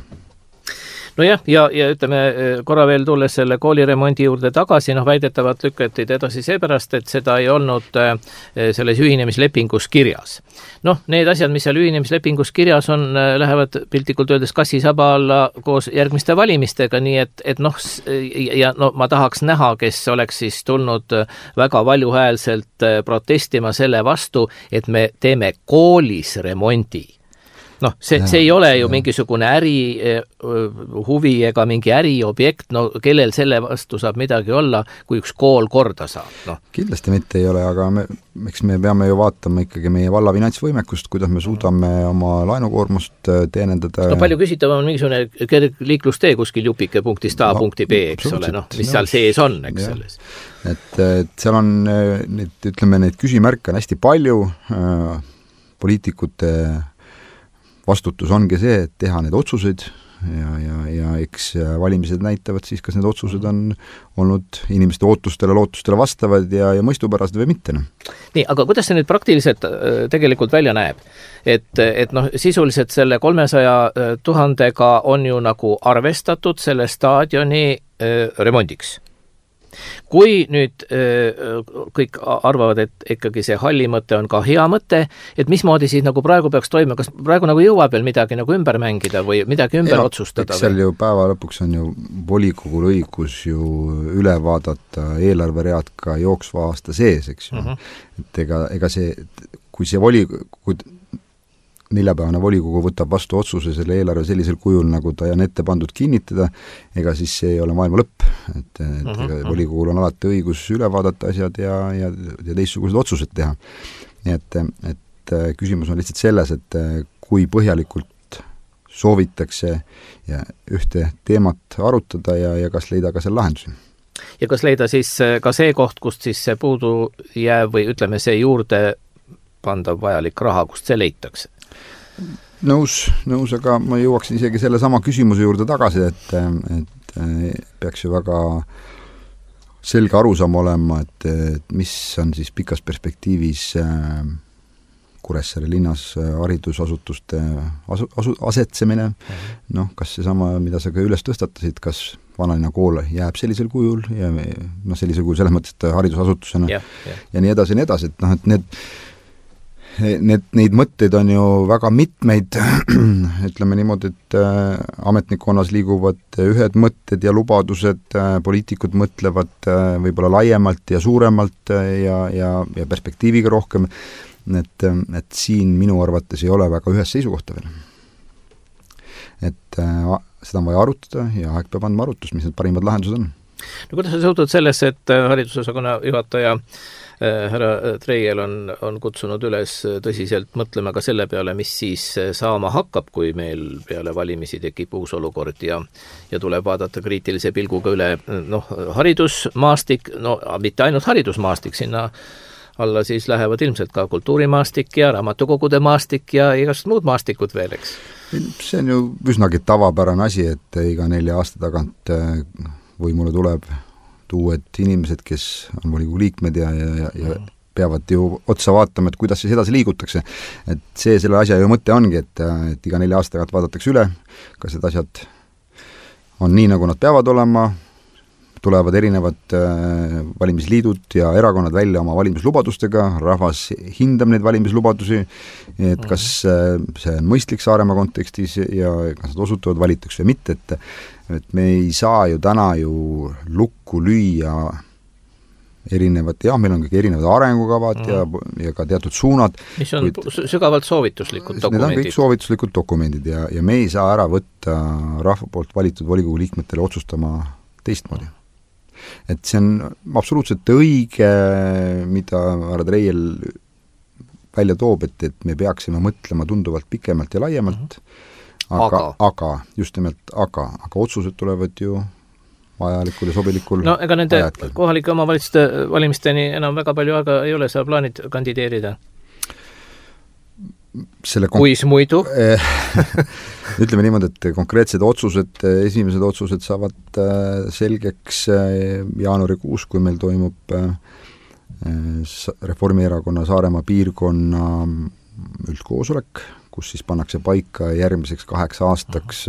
Nojah, ja ütleme korra veel tulles selle kooliremondi juurde tagasi, väidetavalt lükati edasi seepärast, et seda ei olnud selles ühinemislepingus kirjas. Need asjad, mis seal ühinemislepingus kirjas on, lähevad piltlikult öeldes kassisaba alla koos järgmiste valimistega, nii et ma tahaks näha, kes oleks siis tulnud väga valjuhäälselt protestima selle vastu, et me teeme koolis remondi. See ei ole ju mingisugune huvi ega mingi äriobjekt, kellel selle vastu saab midagi olla, kui üks kool korda saab. Kindlasti mitte ei ole, aga eks me peame ju vaatama ikkagi meie valla finantsvõimekust, kuidas me suudame oma laenukoormust teenendada. Palju küsitav on mingisugune kergliiklustee kuskil jupike punktist A punkti B, eks ole, mis seal sees on, eks selles. Et seal on neid küsimärke on hästi palju, poliitikute vastutus ongi see, et teha need otsuseid ja eks valimised näitavad siis, kas need otsused on olnud inimeste ootustele, lootustele vastavad ja mõistupärased või mitte. Nii, aga kuidas see nüüd praktiliselt tegelikult välja näeb? Et sisuliselt selle 300 000 on ju nagu arvestatud selle staadioni remondiks. Kui nüüd kõik arvavad, et ikkagi see halli mõte on ka hea mõte, et mismoodi siis nagu praegu peaks toimuma, kas praegu nagu jõuab veel midagi nagu ümber mängida või midagi ümber otsustada? Seal ju päeva lõpuks on ju volikogul õigus ju üle vaadata eelarveread ka jooksva aasta sees, eks ju. Et ega see, kui neljapäevane volikogu võtab vastu otsuse selle eelarve sellisel kujul, nagu ta on ette pandud kinnitada, ega siis see ei ole maailma lõpp. Et volikogul on alati õigus üle vaadata asjad ja teistsugused otsused teha. Et küsimus on lihtsalt selles, et kui põhjalikult soovitakse ühte teemat arutada ja kas leida ka seal lahendusi. Ja kas leida siis ka see koht, kust siis see puudu jääb või ütleme see juurde pandav vajalik raha, kust see leitakse? Nõus, aga ma jõuaksin isegi selle sama küsimuse juurde tagasi, et peaks ju väga selge arusaam olema, et mis on siis pikas perspektiivis Kuressaare linnas haridusasutuste asetsemine, kas see sama, mida sa ka üles tõstatasid, kas Vanalinna kool jääb sellisel kujul ja sellisel kujul selles mõttes, et haridusasutusena ja nii edasi, et neid mõtteid on ju väga mitmeid, ütleme niimoodi, et ametnikkonnas liiguvad ühed mõtted ja lubadused, poliitikud mõtlevad võib-olla laiemalt ja suuremalt ja perspektiiviga rohkem, et siin minu arvates ei ole väga ühes seisukohta veel. Et seda on vaja arutada ja aeg peab andma arutust, mis need parimad lahendused on. Kuidas sa suhtud sellesse, et haridusosakonna juhataja härra Treiel on kutsunud üles tõsiselt mõtlema ka selle peale, mis siis saama hakkab, kui meil peale valimisi tekib uus olukord ja tuleb vaadata kriitilise pilguga üle haridusmaastik, mitte ainult haridusmaastik, sinna alla siis lähevad ilmselt ka kultuurimaastik ja raamatukogude maastik ja igast muud maastikud veel, eks? See on ju üsnagi tavapärane asi, et iga 4 aasta tagant võimule tuleb uued inimesed, kes on volikogu liikmed ja peavad ju otsa vaatama, et kuidas siis edasi liigutakse. Et see selle asja ju mõte ongi, et iga 4 aasta tagant vaadatakse üle, kas need asjad on nii, nagu nad peavad olema, tulevad erinevad valimisliidud ja erakonnad välja oma valimislubadustega, rahvas hindab neid valimislubadusi, et kas see on mõistlik Saaremaa kontekstis ja kas nad osutuvad valituks või mitte, et me ei saa ju täna ju lukku lüüa erinevad, meil on kõik erinevad arengukavad ja ka teatud suunad. Mis on sügavalt soovituslikud dokumendid. Need on kõik soovituslikud dokumendid ja me ei saa ära võtta rahva poolt valitud volikogu liikmetele otsustama teistmoodi. Et see on absoluutselt õige, mida härra Treiel välja toob, et me peaksime mõtlema tunduvalt pikemalt ja laiemalt, aga just nimelt aga otsused tulevad ju vajalikul ja sobilikul no ega nende kohalike omavalitsuste valimisteni enam väga palju aega ei ole, sa plaanid kandideerida? Kuis muidu? Ütleme niimoodi, et konkreetsed otsused, esimesed otsused saavad selgeks jaanuarikuus, kui meil toimub Reformierakonna Saaremaa piirkonna üldkoosolek, kus siis pannakse paika järgmiseks 8 aastaks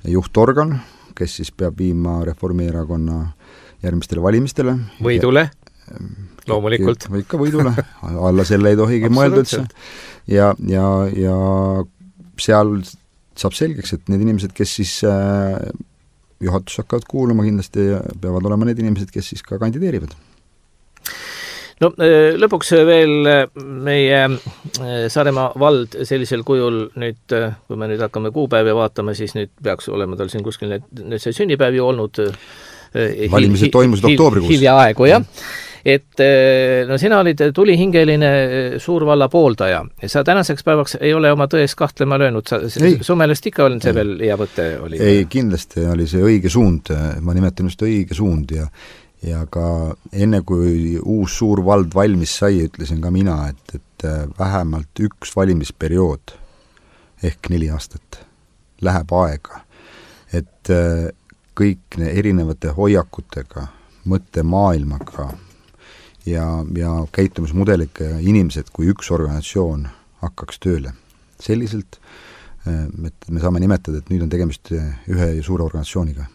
juhtorgan, kes siis peab viima Reformierakonna järgmistele valimistele. Võidule, loomulikult. Ikka võidule, alla selle ei tohigi mõelda üldse. Ja seal saab selgeks, et need inimesed, kes siis juhatus hakkavad kuuluma kindlasti, peavad olema need inimesed, kes siis ka kandideerivad. No lõpuks veel meie Saaremaa vald sellisel kujul nüüd, kui me nüüd hakkame kuupäevi vaatama, siis nüüd peaks olema tal siin kuskil nüüd see sünnipäev ju olnud valimised toimusid oktoobrikuus. Hiljaaegu, jah. Et no sina olid tulihingeline suurvalla pooldaja. Sa tänaseks päevaks ei ole oma tões kahtlema löönud. Su meelest ikka on see veel hea võte? Ei, kindlasti oli see õige suund. Ma nimetan just õige suund ja ka enne, kui uus suur vald valmis sai, ütlesin ka mina, et vähemalt üks valimisperiood ehk 4 aastat läheb aega, et kõik erinevate hoiakutega, mõttemaailmaga ja käitumismudeliga inimesed kui üks organisatsioon hakkaks tööle. Selliselt, et me saame nimetada, et nüüd on tegemist ühe suure organisatsiooniga.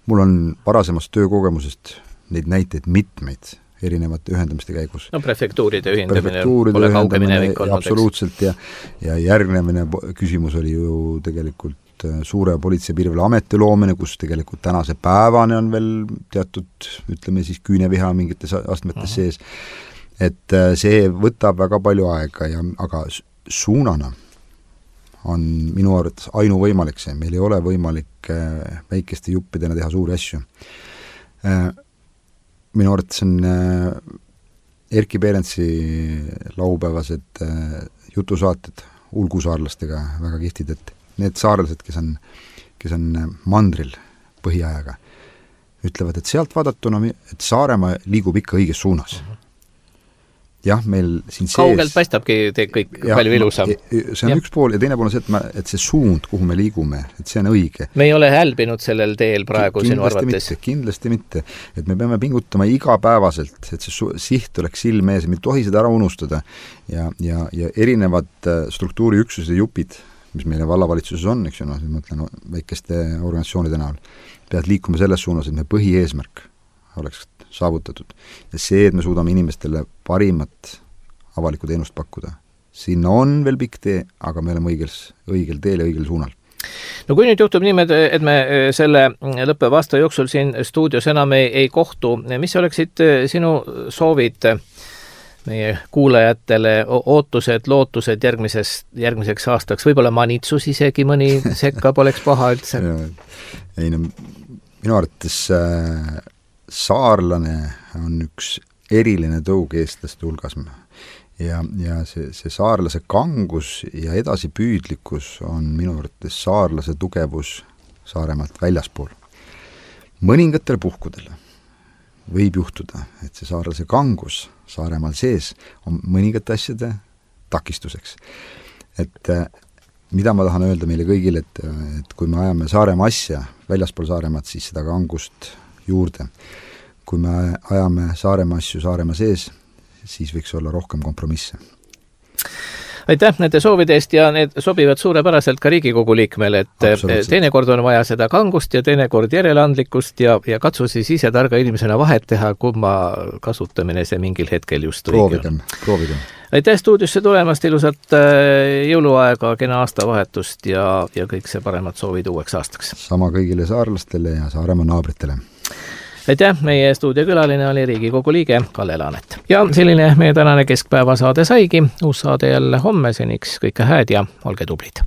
Mul on varasemast töökogemusest neid näiteid mitmeid erinevate ühendamiste käigus. No prefektuuride ühendamine pole kauge minevik olnud. Absoluutselt ja järgnemine küsimus oli ju tegelikult suure politsei- ja piirivalveameti loomine, kus tegelikult tänase päevane on veel teatud, ütleme siis küüneviha mingites astmetes sees. Et see võtab väga palju aega aga suunana on minu arvates ainuvõimalik see. Meil ei ole võimalik väikeste juppidena teha suuri asju. Minu arvates on Erki Perentsi laupäevased jutusaated ulgusaarlastega väga kihtid, et need saarlased, kes on mandril põhiajaga, ütlevad, et sealt vaadatuna, et Saaremaa liigub ikka õiges suunas. Jah, meil siin sees... Kaugelt paistabki kõik palju ilusam. See on üks pool ja teine pool on see, et see suund, kuhu me liigume, et see on õige. Me ei ole hälbinud sellel teel praegu sinu arvates. Kindlasti mitte. Et me peame pingutama igapäevaselt, et see siht oleks silme ees, me ei tohi seda ära unustada. Ja erinevad struktuuriüksused ja jupid, mis meile vallavalitsuses on, eks ju, ma mõtlen väikeste organisatsioonide näol, peavad liikuma selles suunas, et me põhieesmärk oleks saavutatud. Ja see, et me suudame inimestele parimat avalikku teenust pakkuda. Sinna on veel pikk tee, aga me oleme õigel teel ja õigel suunal. No kui nüüd juhtub niimoodi, et me selle lõppeva aasta jooksul siin stuudios enam ei kohtu, mis oleksid sinu soovid meie kuulajatele, ootused, lootused järgmiseks aastaks, võib-olla manitsus isegi mõni sekka poleks paha üldse? Ei, no, minu arvates saarlane on üks eriline tõug eestlaste hulgas ja see saarlase kangus ja edasipüüdlikkus on minu arvates saarlase tugevus Saaremaalt väljaspool. Mõningatel puhkudel võib juhtuda, et see saarlase kangus Saaremaal sees on mõningate asjade takistuseks. Et mida ma tahan öelda meile kõigile, et kui me ajame Saaremaa asja väljaspool Saaremaad, siis seda kangust juurde. Kui me ajame Saaremaa asju Saaremaa sees, siis võiks olla rohkem kompromisse. aitäh nende soovide eest ja need sobivad suurepäraselt ka Riigikogu liikmele, et teinekord on vaja seda kangust ja teinekord järeleandlikkust ja katsu siis ise targa inimesena vahet teha, kumma kasutamine see mingil hetkel just õige on. Proovigem. Aitäh stuudiosse tulemast, ilusat jõuluaega, kena aastavahetust ja kõik see paremad soovid uueks aastaks. Sama kõigile saarlastele ja Saaremaa naabritele. Aitäh, meie stuudiokülaline oli Riigikogu liige Kalle Laanet. Ja selline meie tänane keskpäevasaade saigi, uus saade jälle homme, seniks kõike hääd ja olge tublid.